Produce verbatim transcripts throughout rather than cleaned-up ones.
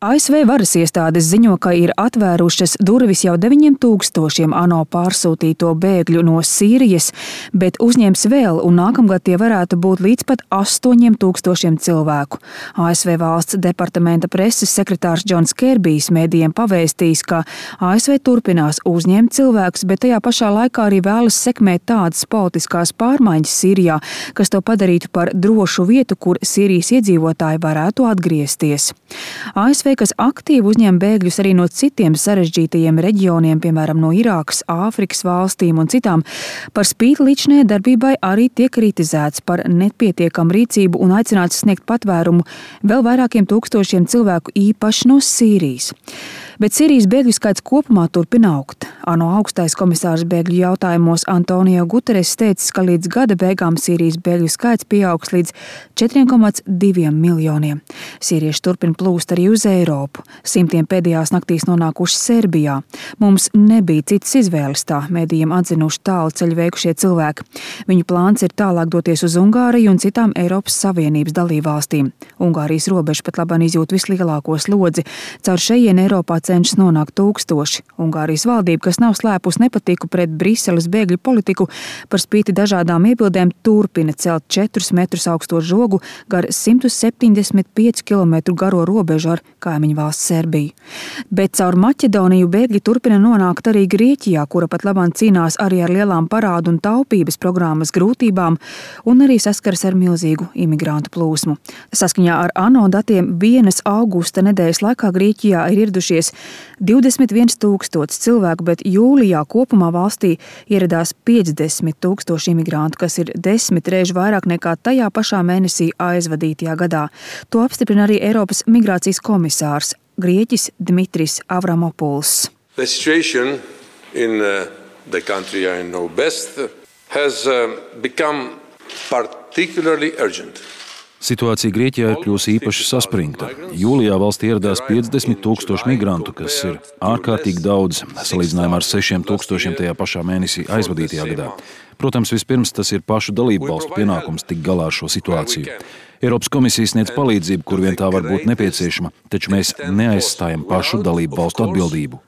A S V varas iestādes ziņo, ka ir atvērušas durvis jau deviņiem tūkstošiem ANO pārsūtīto bēgļu no Sīrijas, bet uzņems vēl, un nākamgad tie varētu būt līdz pat astoņiem tūkstošiem cilvēku. A S V valsts departamenta preses sekretārs Džons Kerbijs mēdījiem pavēstījis, ka A S V turpinās uzņemt cilvēkus, bet tajā pašā laikā arī vēlas sekmēt tādas politiskās pārmaiņas Sīrijā, kas to padarītu par drošu vietu, kur Sīrijas iedzīvotāji varētu atgriezties. A S V, kas aktīvi uzņem bēgļus arī no citiem sarežģītajiem reģioniem, piemēram, no Irākas, Āfrikas valstīm un citām, par spīti līdzinējai darbībai arī tiek kritizēts par nepietiekamu rīcību un aicināts sniegt patvērumu vēl vairākiem tūkstošiem cilvēku, īpaši no Sīrijas. Bet Sīrijas bēgļu skaits kopumā turpina augt. ANO augstais komisārs bēgļu jautājumos Antonio Guterres teicis, ka līdz gada beigām Sīrijas bēgļu skaits pieaugs līdz četriem komats diviem miljoniem. Sīrieši turpina plūst arī uz Eiropu. Simtiem pēdējās naktīs nonākuši Serbijā. Mums nebija citas izvēles, tā mēdījiem atzinuši tālu ceļu veikušie cilvēki. Viņu plāns ir tālāk doties uz Ungāriju un citām Eiropas Savienības dalībvalstīm. Ungārijas robeža pat labāk izjūt vislielāko slodzi. Caur šejienu Eiropā cenšas nonākt tūkstoši. Ungārijas valdība, kas nav slēpus nepatiku pret Briseles bēgļu politiku, par spīti dažādām iebildēm turpina celt četrus metrus augsto žogu gar simt septiņdesmit piecu kilometru garo robežu ar kaimiņu valsts Serbiju. Bet caur Maķedoniju bēgļi turpina nonākt arī Grieķijā, kura pat labāk cīnās arī ar lielām parādu un taupības programmas grūtībām un arī saskaras ar milzīgu imigrantu plūsmu. Saskaņā ar ANO datiem vienas augusta nedēļas laikā Grieķijā ir ieradušies divdesmit viens tūkstotis cilvēku, bet jūlijā kopumā valstī ieradās piecdesmit tūkstoši imigrantu, kas ir desmit reižu vairāk nekā tajā pašā mēnesī aizvadītajā gadā. To apstiprina arī Eiropas migrācijas komisārs Grieķis Dmitris Avramopuls. The situation in uh, the country I know best has uh, become particularly urgent. Situācija Grieķijā ir kļuvusi īpaši saspringta. Jūlijā valstī ieradās piecdesmit tūkstoši migrantu, kas ir ārkārtīgi daudz, salīdzinājumā ar sešiem tūkstošiem tajā pašā mēnesī aizvadītajā gadā. Protams, vispirms tas ir pašu dalību valstu pienākums tikt galā ar šo situāciju. Eiropas komisija sniedz palīdzību, kur vien tā var būt nepieciešama, taču mēs neaizstājam pašu dalību valstu atbildību.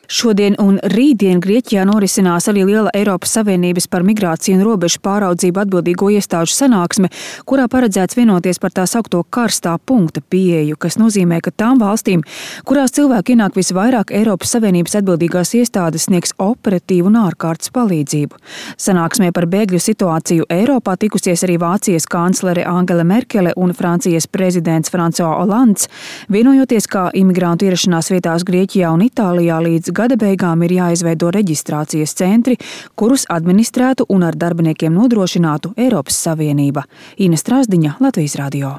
Šodien un rītdien Grieķijā norisinās arī liela Eiropas Savienības par migrāciju un robežu pāraudzību atbildīgo iestāžu sanāksme, kurā paredzēts vienoties par tā saukto karstā punkta pieeju, kas nozīmē, ka tām valstīm, kurās cilvēki ienāk visvairāk, Eiropas Savienības atbildīgās iestādes sniegs operatīvu un ārkārtas palīdzību. Sanāksmē par bēgļu situāciju Eiropā tikusies arī Vācijas kanclere Angela Merkele un Francijas prezidents François Hollands, vienojoties, kā imigrantu ierašanās vietās Grieķijā un Itālijā līdz gada beigām ir jāizveido reģistrācijas centri, kurus administrētu un ar darbiniekiem nodrošinātu Eiropas Savienība. Ines Strasdiņa, Latvijas radio.